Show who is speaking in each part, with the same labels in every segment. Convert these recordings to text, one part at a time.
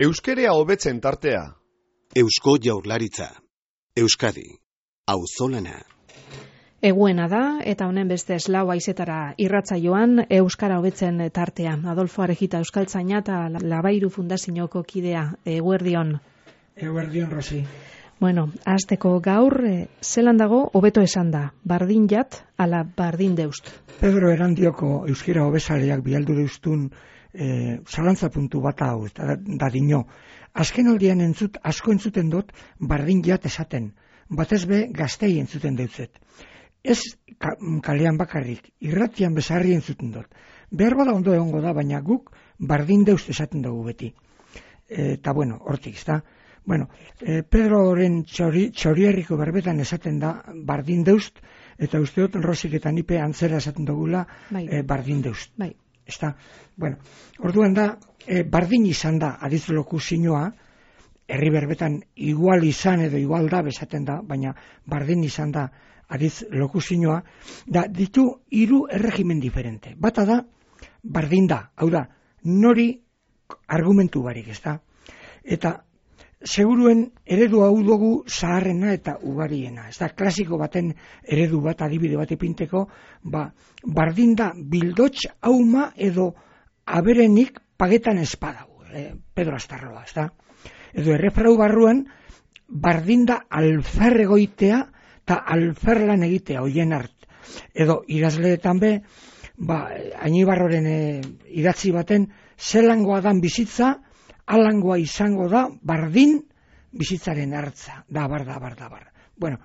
Speaker 1: Euskerea hobetzen tartea.
Speaker 2: Eusko Jaurlaritza. Euskadi. Auzolana.
Speaker 3: Eguena da, eta honen beste eslau haizetara irratsaioan Euskara hobetzen tartea. Adolfo Arejita Euskaltzaina eta Labairu Fundazioko kidea. Eguerdion.
Speaker 4: Eguerdion, Rosi.
Speaker 3: Bueno, hasteko gaur, zelan dago hobeto esan da, bardin jat, ala bardin deust.
Speaker 4: Pedro Erandioko euskera hobezaleak bialdu deustun zalantza puntu bat hau, da dino. Azken aldian asko entzuten dut bardin jat esaten, batez be gaztei entzuten deutzet. Ez kalean bakarrik, irratian bezarri entzuten dut. Behar bada ondo egongo da, baina guk bardin deust esaten dugu beti. Eta bueno, hortik, ezta? Bueno, Pedroren txorierriko berbetan esaten da bardin deust, eta usteot Rosik eta nipe antzera esaten dugula bardin deust.
Speaker 3: Bai.
Speaker 4: Ezta? Bueno, orduan da, bardin izan da adiz lokuzinioa, herri berbetan igual izan edo igual da besaten da, baina bardin izan da adiz lokuzinioa, da ditu 3 erregimen diferente. Bata da, bardin da, hau da, nori argumentu barik, ezta? Eta seguruen eredu hau dugu zaharrena eta ugariena. Ez da, klasiko baten eredu bat, adibide bat ipinteko, bardin da bildots hauma edo aberenik pagetan espadau, Pedro Astarroa, ez da? Edo errefrau barruan, bardin da alfer egoitea eta alferlan egitea, hoien hart. Edo idazleetan be, Ainibarroren idatzi baten, zelangoa dan bizitza, alangoa izango da bardin bizitzaren hartza, dabar. Bueno,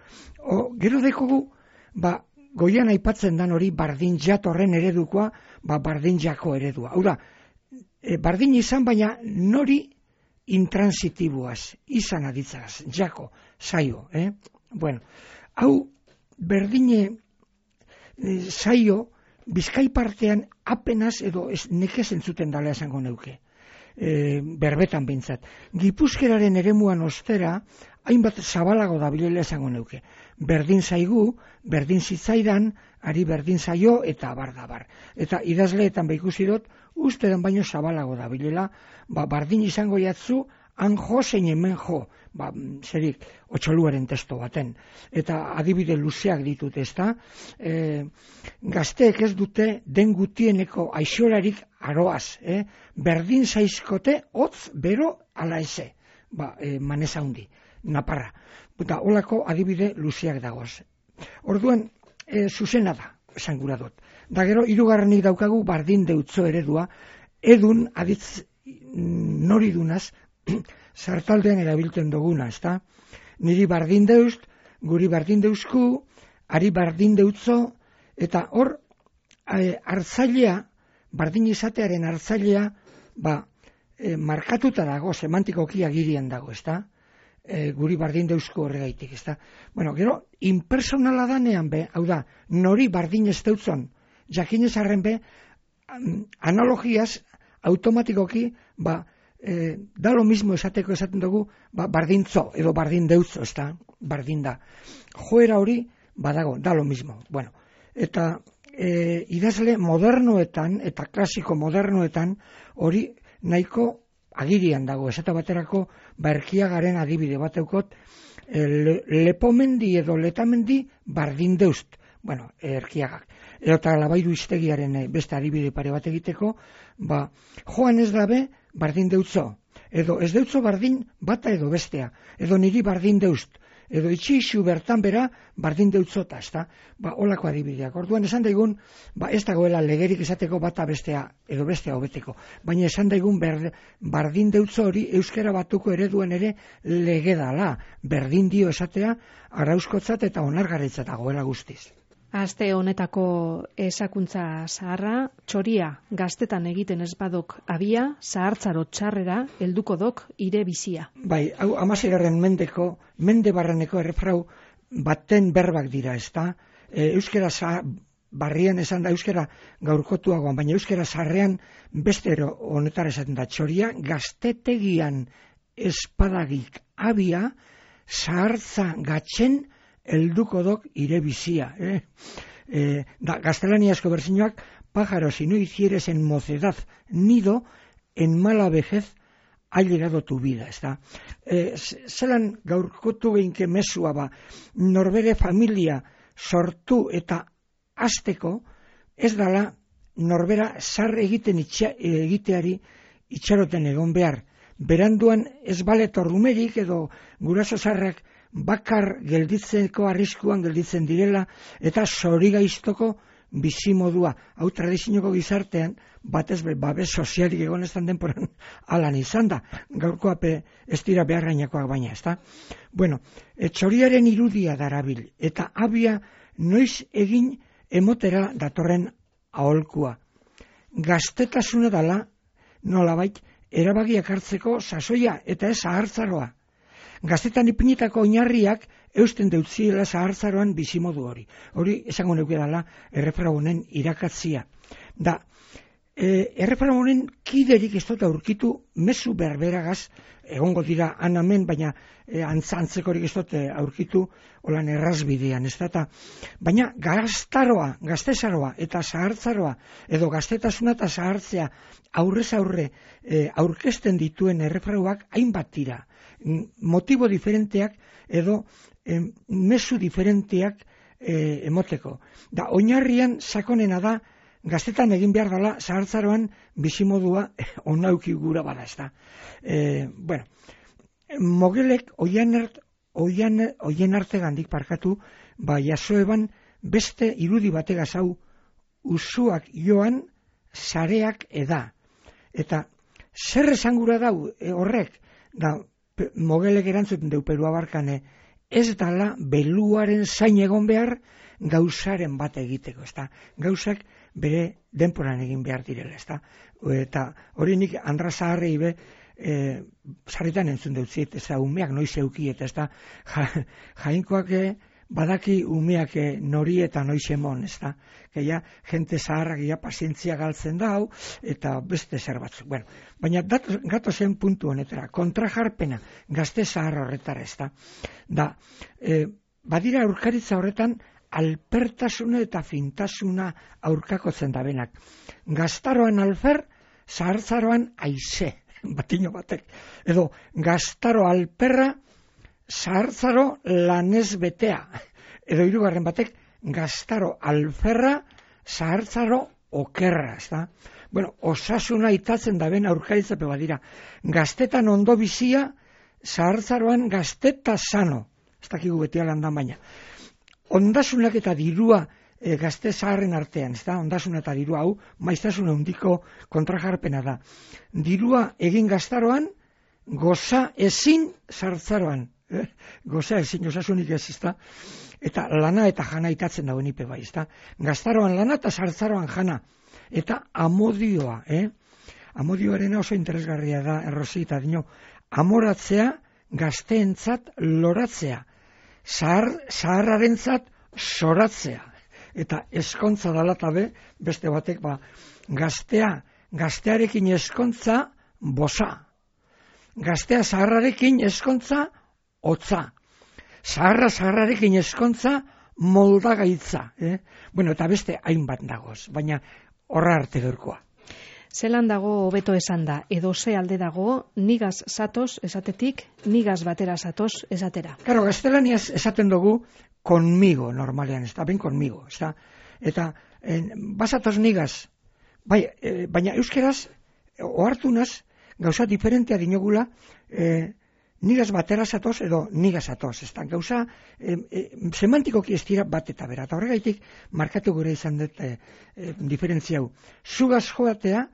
Speaker 4: gero dekogu, goian aipatzen dan hori bardin jat horren eredukoa, bardin jako eredua. Hau da, bardin izan baina nori intransitiboaz, izan aditzaz, jako, zaio. Bueno, hau berdine zaio, Bizkai partean apenas edo nekez entzuten dala esango neuke. Berbetan behintzat. Gipuzkeraren eremuan ostera, hainbat zabalago da bilela esango neuke. Berdin zaigu, berdin zitzaidan, ari berdin zaio eta abar. Eta idazleetan ikusi dut, ustedan baino zabalago da bilela, bardin izango jatzu, han jo zein hemen jo, zerik, otxoluaren testo baten. Eta adibide luzeak ditut, ezta? Gazteek ez dute den gutieneko aixolarik aroaz, berdin zaizkote, hotz, bero, ala eze, maneza hundi, naparra. Eta holako adibide luzeak dagoaz. Orduan, zuzena da, esan gura dut. Da gero, 3. daukagu bardin deutzo eredua, edun, aditz nori dunaz, zartaldean erabiltzen duguna, ezta? Niri bardin deust, guri bardin deusku, ari bardin deutzo, eta hor, hartzailea, bardin izatearen hartzailea, markatuta dago, semantikoki agirian dago, ezta? Guri bardin deusku horregaitik, ezta? Bueno, gero, impersonala danean be, hau da, nori bardin ez deutzon, jakinez arren be, analogiaz, automatikoki, da lo mismo esaten dugu, bardintzo edo bardin deutzo, ezta? Bardin da. Joera hori, badago, da lo mismo. Bueno, eta idazle modernoetan, eta klasiko modernoetan, hori nahiko agirian dago. Esate baterako, Erkiagaren adibide bateukot, lepomendi edo letamendi bardin deust. Bueno, Erkiagak. Eta Labairu Iztegiaren beste adibide pare bat egiteko, joan ez dabe bardin deutzo. Edo ez deutzo bardin bata edo bestea. Edo niri bardin deust. Edo itxixu bertan bera bardin deutzota, ezta? Holako adibideak. Orduan esan daigun, ez dagoela legerik esateko bata bestea edo bestea hobeteko. Baina esan daigun bardin deutzo hori euskara batuko ereduen ere lege dala. Berdin dio esatea arauskotzat eta onargarritzat dagoela guztiz.
Speaker 3: Aste honetako esakuntza zaharra, txoria gaztetan egiten ez badok abia, zahartzaro txarrera, helduko dok ire bizia.
Speaker 4: Bai, hau 16. mende barreneko errefrau baten berbak dira, ezta? Euskera barrian esan da, euskera gaurkotuagoan, baina euskera zaharrean beste honetara esaten da, txoria gaztetegian espadagik abia, zahartza gatzen, helduko dok ire bizia. Gaztelaniazko berzinoak, pájaro, si no hicieres en mocedad nido, en mala vejez ha llegado tu vida, ezta? Zelan gaurkotu geinke mezua ba, norbere familia sortu eta hasteko ez dala norbera zar egiteari itxaroten egon behar. Beranduan ez baletor umerik edo guraso zarrak bakar gelditzeko arriskuan gelditzen direla eta zorigaiztoko bizimodua. Hau tradizioko gizartean batez babes sozialik egon ez denporan alan izan da. Gaurkoape ez dira beharrainakoak baina, ezta? Bueno, txoriaren irudia darabil eta abia noiz egin emotera datorren aholkua. Gaztetasuna dala nolabait erabakiak hartzeko sasoia eta ez zahartzaroa. Gaztetan ipinitako oinarriak eusten deutziela zahartzaroan bizimodu hori. Hori esango neuke dala erreferaunen irakatzia. Da, erreferaunen kiderik ez dut aurkitu mezu berberagaz, egongo dira anamen, baina antzantzekorik ez dut aurkitu holan errazbidean, ez da. Baina gaztaroa, gaztezaroa eta zahartzaroa, edo gaztetasuna eta zahartzea aurrez aurre aurkezten dituen erreferauak hainbat dira. Motibo diferenteak edo mezu diferenteak emoteko. Da, oinarrian sakonena da gaztetan egin behar dela zahartzaroan bizimodua onauki gura bada, ez da. Bueno, Mogelek oien arte gandik parkatu, ba jasoeban beste irudi bategaz hau usuak joan sareak eda. Eta zer esangura dau horrek, da Mogelek erantzuten deu Perua barkane, ez dala beluaren zain egon behar gauzaren bat egiteko, ezta? Gauzak bere denporan egin behar direla, ezta? Eta hori nik Andra Zaharrei be sarritan entzun deutziet, ezta, umeak noiz eukiet, ezta? Jainkoak badaki umeak nori eta noiz emon, ezta? Geia, jente zaharrak ja pazientzia galtzen dau, eta beste zer batzuk. Bueno, baina gato zen puntu honetara, kontrajarpena, gazte zahar horretara, ezta? Da, badira aurkaritza horretan, alpertasuna eta fintasuna aurkakotzen dabenak. Gaztaroan alfer, zahartzaroan aize, batino batek. Edo, gaztaro alperra, zahartzaro lanez betea. Edo hirugarren batek, gaztaro alferra, zahartzaro okerra, ezta? Bueno, osasuna itatzen daben aurkaritzape badira. Gaztetan ondo bizia, zahartzaroan gazteta sano. Ez dakigu beti alandan baina. Ondasunak eta dirua gazte zaharren artean, ez da? Ondasuna eta dirua hau, maiztasuna handiko kontrajarpena da. Dirua egin gaztaroan, goza ezin zahartzaroan. Goza ezin, osasunik ez, ez da? Eta lana eta jana itatzen dauen ipe bai, ez da? Gaztaroan lana eta zahartzaroan jana. Eta amodioa, Amodioaren oso interesgarria da, errosi eta dino, amoratzea gazteentzat loratzea. Zaharrarentzat soratzea. Eta eskontza dalatabe, beste batek, gaztearekin eskontza bosa. Gaztea zaharrarekin eskontza hotza. Zaharrarekin eskontza moldagaitza. Bueno, eta beste hainbat dagoz, baina horra arte gaurkoa.
Speaker 3: Zelan dago hobeto esan da, edo ze alde dago, nigaz zatoz esatetik, nigaz batera zatoz esatera.
Speaker 4: Claro, gaztelaniaz esaten dugu conmigo, normalean, ez da, ben conmigo, ez da. Eta, basatoz nigaz, baina euskeraz, ohartunaz, gauza diferentea dinogula, nigaz batera zatoz edo nigaz zatoz, ez da. Gauza, semantikoki ez dira bat eta bera, eta horregaitik markatu gure izan dut diferentzia hau. Zugaz joatea,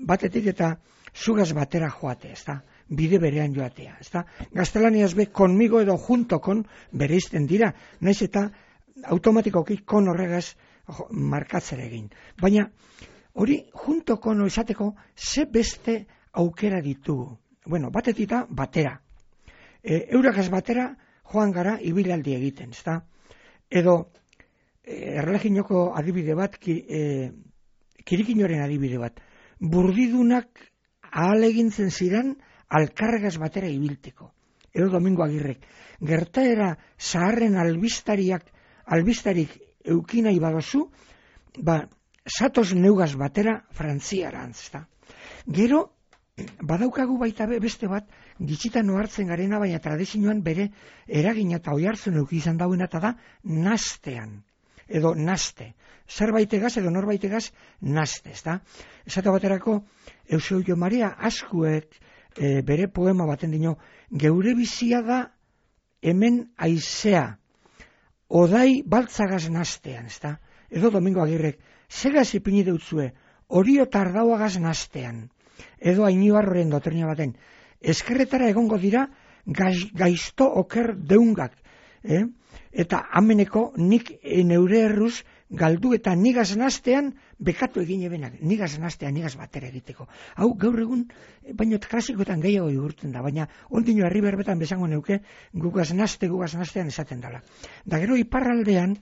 Speaker 4: batetik eta zugaz batera joatea, ez da, bide berean joatea, ez da. Gaztelaniaz be, conmigo edo junto con bereizten dira, naiz eta automatikoki kon horregaz markatzera egin. Baina, hori junto con esateko, ze beste aukera ditugu. Bueno, batetik batera. Eurakaz batera joan gara ibilaldi egiten, ez da. Edo, erreginoko adibide bat, kirikinoren adibide bat, burdidunak ahalegintzen ziren alkarregaz batera ibilteko. Edo Domingo Agirrek. Gertaera zaharren albistarik eukinai badozu, zatoz neugaz batera frantziarantz, ez da. Gero, badaukagu baita beste bat, gitxitan ohartzen garena, baina tradizioan bere eragina eta oihartzun eduki izan dauena, eta da nastean, edo naste. Zerbaitegaz edo norbaitegaz naste, ezta? Esate baterako, Eusebio Maria Azkuek bere poema baten dino, geure bizia da hemen aizea, odai baltzagaz nastean, ezta? Edo Domingo Agirrek, zegaz ipini deutzue, orio tardauagaz nastean. Edo Ainibarroren dotrina baten, eskerretara egongo dira gaizto oker deungak, eta ameneko nik neure erruz galdu eta nigaz nastean bekatu egin ebenak, nigaz nastean, nigaz batera egiteko. Hau gaur egun, baina klasikoetan gehiago igurtzen da, baina ondino herri berbetan bezango neuke gugaz nastean esaten dela. Da gero iparraldean,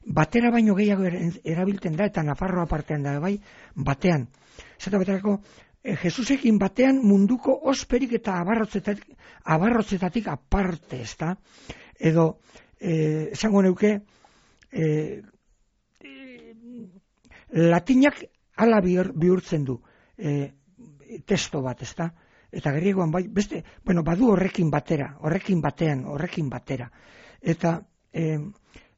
Speaker 4: batera baino gehiago erabiltzen da, eta Nafarroa partean da bai, batean. Zata baterako, Jesusekin batean munduko osperik eta abarrotzetatik aparte, ezta? Edo, esango neuke, latinak ala bihurtzen du testo bat, ezta? Eta griegoan bai, beste, badu horrekin batera. Eta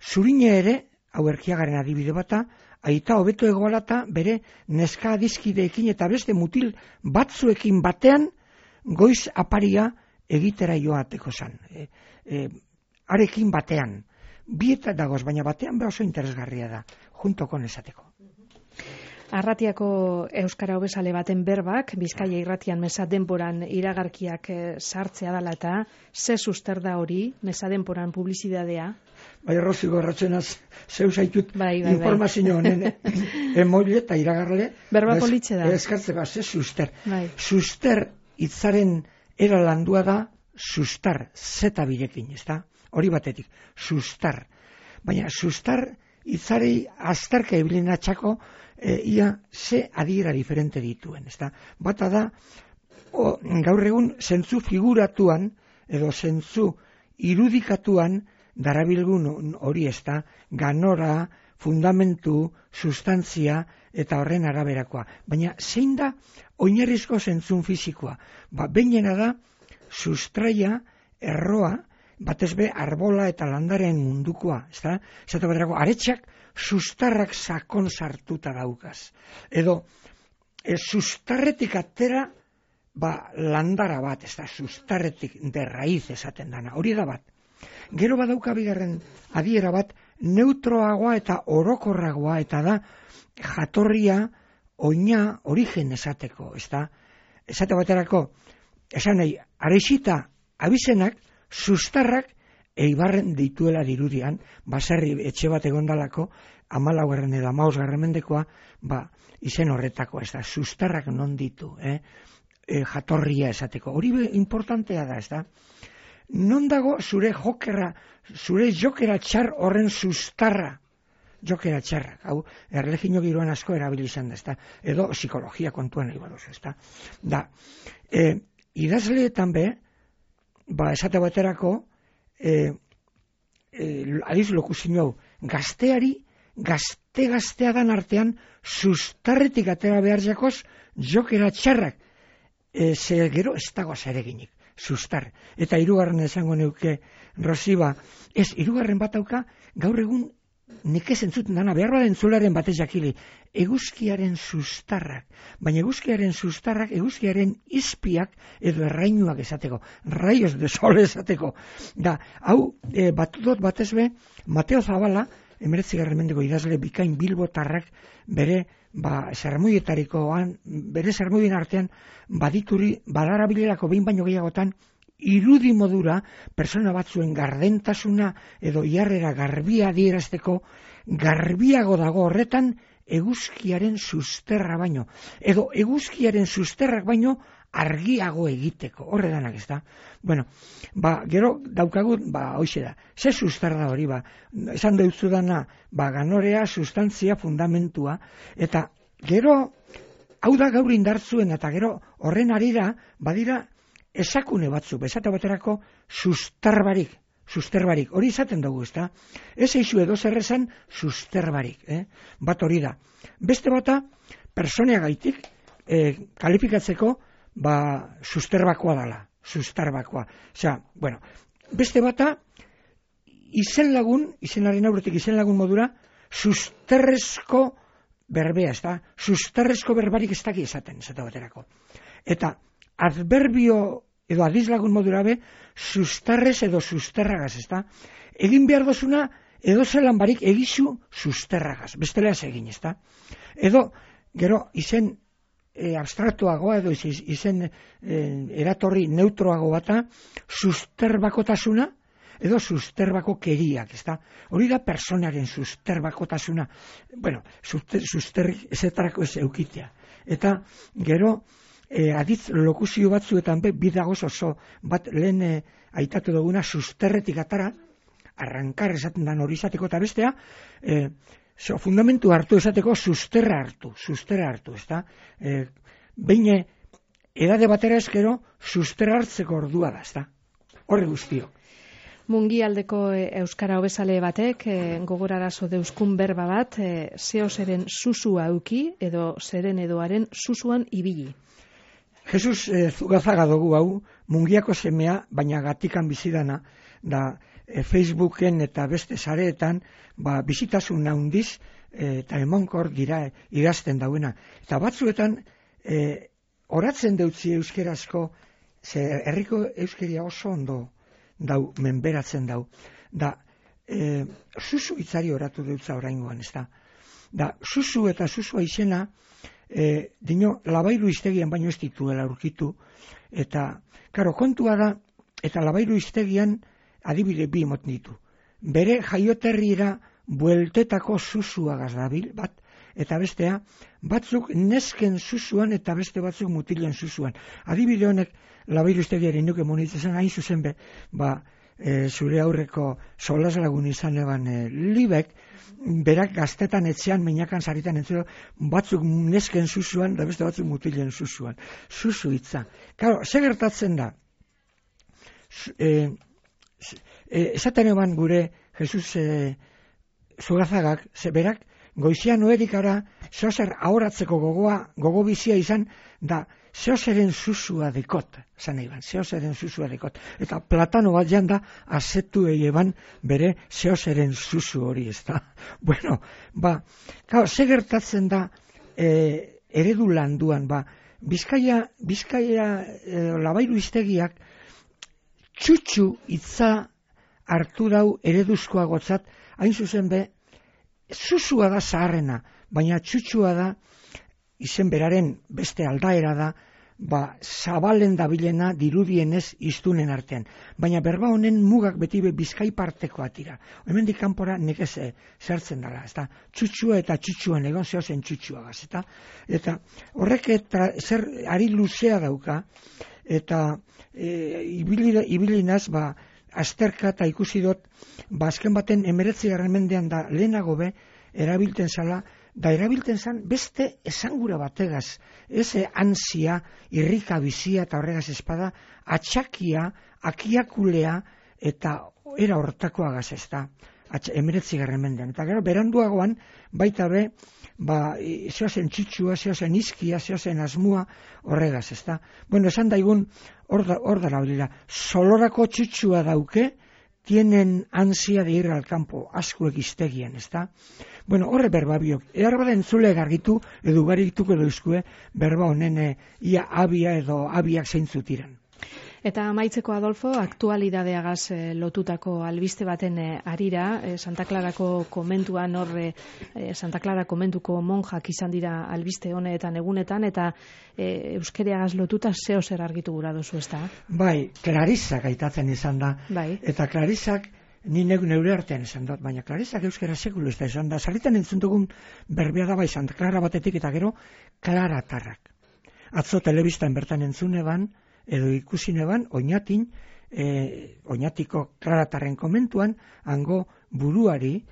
Speaker 4: Zurine ere, hau Erkiagaren adibide bata, aita hobeto egoalata bere neska adizkideekin eta beste mutil batzuekin batean goiz aparia egitera joateko zan. Arekin batean. Bieta dagoz, baina batean oso interesgarria da, juntoko nesateko.
Speaker 3: Arratiako euskara hobesale baten berbak, Bizkaia irratian mesa denboran iragarkiak sartzea dela eta ze suster da hori, mesa denboran publizidadea?
Speaker 4: Bai, Rosi gorratzenaz, zeu zaitut informazio honen emoile eta iragarle.
Speaker 3: Berba politxe da.
Speaker 4: Eskartze bat, ze suster. Suster hitzaren era landua da sustar, zeta birekin, ezta? Hori batetik, sustar. Baina sustar hitzarei azterka ibilina txako, ia ze adiera diferente dituen, ezta? Bata da, gaur egun zentzu figuratuan, edo zentzu irudikatuan, darabilgun hori, ezta? Ganora, fundamentu, sustantzia, eta horren araberakoa. Baina zein da oinarrizko zentzun fisikoa? Behinena da, sustraia, erroa, batez be arbola eta landaren mundukoa, ezta? Zata baterako, aretxak sustarrak sakon sartuta daukaz. Edo, sustarretik atera, landara bat, ezta? Sustarretik de raiz esaten dana, hori da bat. Gero badauka bigarren adiera bat, neutroagoa eta orokorragoa, eta da jatorria, oina, origen esateko, ezta? Esate baterako, esan nahi, arexita abizenak, sustarrak eibarren dituela dirudian, baserri etxe bat egondalako, 14. edo 15. mendekoa, izen horretako, ez da, sustarrak non ditu, jatorria esateko. Hori importantea da, ez da. Non dago zure jokera txar horren sustarra, jokera txarrak, hau, erlegino giroan asko erabilizan da, ez da, edo psikologia kontuan nahi badoz, ez da. Da, idazleetan be, esate baterako, adiz lokuzio hau, gaztea dan artean, sustarretik atera behar jakoz, jokera txarrak, ze gero ez dago zereginik, sustar. Eta hirugarren esango neuke, Rosiba, hirugarren bat dauka, gaur egun nik ez entzuten dana, behar baden zularen batez jakili, eguzkiaren sustarrak, baina eguzkiaren sustarrak, eguzkiaren izpiak edo errainuak esateko, raios de sol esateko. Da, hau, batudot batez be, Mateo Zabala, 19. mendeko idazle bikain bilbotarrak, bere, zermuietarikoan, bere zermuien artean, badarabilerako behin baino gehiagotan, irudi modura, persona batzuen gardentasuna edo jarrera garbia adierazteko, garbiago dago horretan eguzkiaren susterra baino, edo eguzkiaren susterrak baino argiago egiteko, horre danak ez da. Bueno, gero daukagut, hoxe da, ze sustar da hori, esan deutzu dana, ganorea, sustantzia, fundamentua, eta gero, hau da gaur indartzuen, eta gero horren arira, badira, esakune batzuk, esate baterako susterbarik, hori izaten dugu, ezta? Ez eixu edo zerrezan susterbarik, bat hori da. Beste bata, personeagaitik, kalifikatzeko, susterbakoa dala, sustarbakoa. Osea, bueno, beste bata, izenaren aurretik izen lagun modura, susterrezko berbea, ez da? Susterrezko berbarik ez daki esate baterako. Eta adverbio edo adizlagun modura be, sustarrez edo susterragaz, ez da? Egin behar dozuna, edo zelan barik egizu susterragaz, bestela ez egin, ez da? Edo, gero, izen abstraktuagoa edo izen eratorri neutroago bata, susterbakotasuna, edo susterbako keriak, ez da? Hori da personaren susterbakotasuna. Bueno, susterrik ezetarako ez eukitea. Eta gero, aditz lokuzio batzuetan bidagoz oso bat lehen aitatu duguna susterretik atara, arrankar esaten dan hori izateko eta bestea, fundamentu hartu esateko sustera hartu, ez da? Behin edade batera eskero sustera hartzeko ordua da, ez da? Horre guztio.
Speaker 3: Mungialdeko euskara hobezale batek gogorarazo deuskun berba bat, zeo zeren susua auki edo zeren edoaren susuan ibili.
Speaker 4: Jesus Zugazaga dugu hau, Mungiako semea, baina gatikan bizidana, da Facebooken eta beste sareetan, bizitasun handiz eta emankor dira idazten dauena. Eta batzuetan, oratzen deutzi euskerazko, herriko euskeria oso ondo dau, menberatzen dau. Da, susu hitzari oratu deutza oraingoan, ez da. Da, susu eta susua izena, dino, Labairu iztegian baino ez dituela aurkitu, eta, karo, kontua da, eta Labairu iztegian adibide bi emoten ditu. Bere jaioterriera bueltetako susuagaz dabil, bat, eta bestea, batzuk nesken susuan eta beste batzuk mutilen susuan. Adibide honek, Labairu iztegiaren nuke monitzen hain zuzen be, zure aurreko solas lagun izan eban libek, berak gaztetan etxean, meinakan saritan entzero, batzuk nesken susuan, da beste batzuk mutilen susuan. Susu hitza. Claro, ze gertatzen da? Esaten eban gure Jesus Zugazagak, berak, goizian noerikara, zeozer ahoratzeko gogo bizia izan, da zeozeren susua dekot, zan nahi ban, zeozeren susua dekot. Eta Platano bat janda, azetu eban bere zeozeren susu hori, ez da. Bueno, claro, ze gertatzen da eredu landuan, Bizkaia Labairu iztegiak txutxu hitza hartu dau ereduzkoagotzat, hain zuzen be, susua da zaharrena, baina txutxua da, izen beraren beste aldaera da, zabalen dabilena dirudienez iztunen artean. Baina berba honen mugak beti Bizkai partekoa tira. Hemendik kanpora nekez zertzen dela, ezta? Txutxua eta txutxuan egon zehozen txutxuagaz, eta horrek eta zer ari luzea dauka, eta ibilinaz, azterka eta ikusi dut, azken baten 19. mendean da lehenago be, erabilten zala, da erabilten zan beste esangura bategaz, ez ansia, irrika bizia eta horregaz espada, atxakia, akiakulea eta era hortakoagaz ez da, 19. mendean. Eta gero, beranduagoan, baita be, zeozen txitsua, zeozen izkia, zeozen asmua, horregaz ez da. Bueno, esan daigun, hor da laudila, solorako txitsua dauke, tienen ansia de ir al campo, askuek iztegian, ez da? Bueno, horre berba biok, bada entzule gargitu, edo garituko dauzkue, berba honen ia abia edo abiak zeintzutiran.
Speaker 3: Eta amaitzeko, Adolfo, aktualidadeagaz lotutako albiste baten arira, Santa Clarako komentuan horre, Santa Clara komentuko monjak izan dira albiste honetan egunetan, eta euskereagaz lotuta zeo zer argitu gura duzu, ez da?
Speaker 4: Bai, Clarisak aitatzen izan da,
Speaker 3: bai.
Speaker 4: Eta Clarisak, ni neure artean esan dut, baina Clarisak euskera sekulu ez da esan da, sarritan entzun dugun berbea da bai Santa Clara batetik eta gero Klaratarrak. Atzo telebistan bertan entzune ban, edo ikusi neban, oinatiko Klaratarren komentuan, hango buruari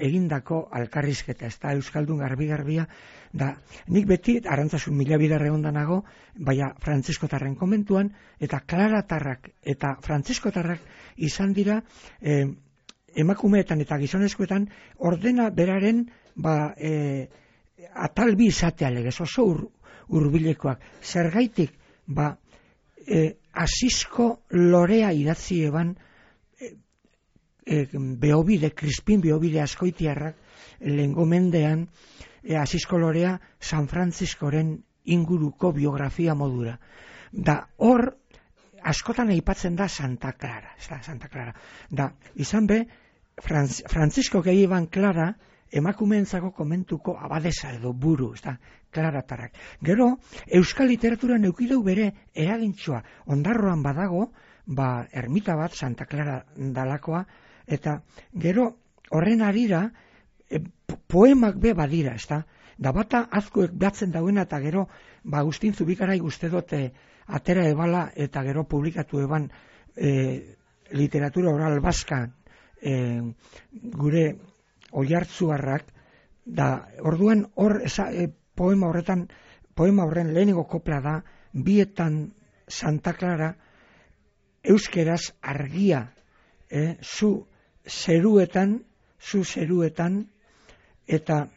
Speaker 4: egindako alkarrizketa, ez da euskaldun garbi-garbia, da nik beti arantzasun mila bidarre ondanago, baina frantziskotarren komentuan, eta Klaratarrak eta frantziskotarrak izan dira emakumeetan eta gizonezkoetan ordena beraren atalbi izatea legez, oso hurbilekoak. Zergaitik Asisko lorea idatzi eban Beobide, Crispin Beobide Azkoitiarrak lehengo mendean Asisko lorea San Frantziskoren inguruko biografia modura. Da hor askotan aipatzen da Santa Clara, Santa Clara. Da izan be Frantzisko Gehiban Clara emakumeentzako komentuko abadesa edo buru, Klaratarrak. Gero euskal literaturan eukideu bere eragintxoa. Ondarroan badago, ermita bat Santa Clara dalakoa, eta gero horren arira poemak be badira, da bata azkoek batzen dauena, eta gero Agustin Zubikarai uste dute atera ebala eta gero publikatu eban literatura oral baskan gure Oiartzuarrak, da orduan hor poema horren lehenengo kopla da, bietan Santa Clara euskeraz argia, zu zeruetan eta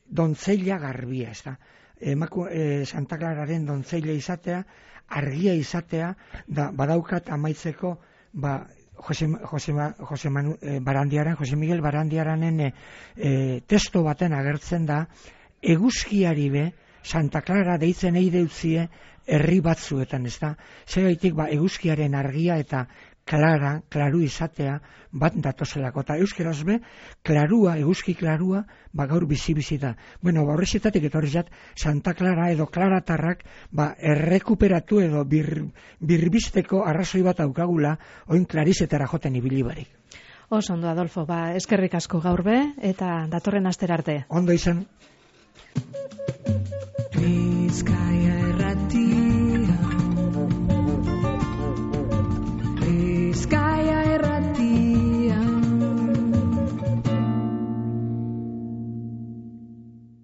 Speaker 4: dontzeila garbia, Santa Clararen dontzeila izatea, argia izatea, da badaukat amaitzeko, Jose Miguel Barandiaranen testo baten agertzen da, eguzkiari be Santa Clara deitzen eideutzie herri batzuetan, Zegaitik eguzkiaren argia eta klaru izatea bat datozelako, eta euskeraz be klarua, eguzki klarua gaur bizi da. Horrezitatik etorri zat Santa Clara edo klaratarrak errekuperatu edo birbisteko arrazoi bat aukagula oin klarizetara joten ibili barik.
Speaker 3: Oso ondo, Adolfo, eskerrik asko gaur be eta datorren astera arte.
Speaker 4: Ondo izan.
Speaker 5: Bizkaia Irratia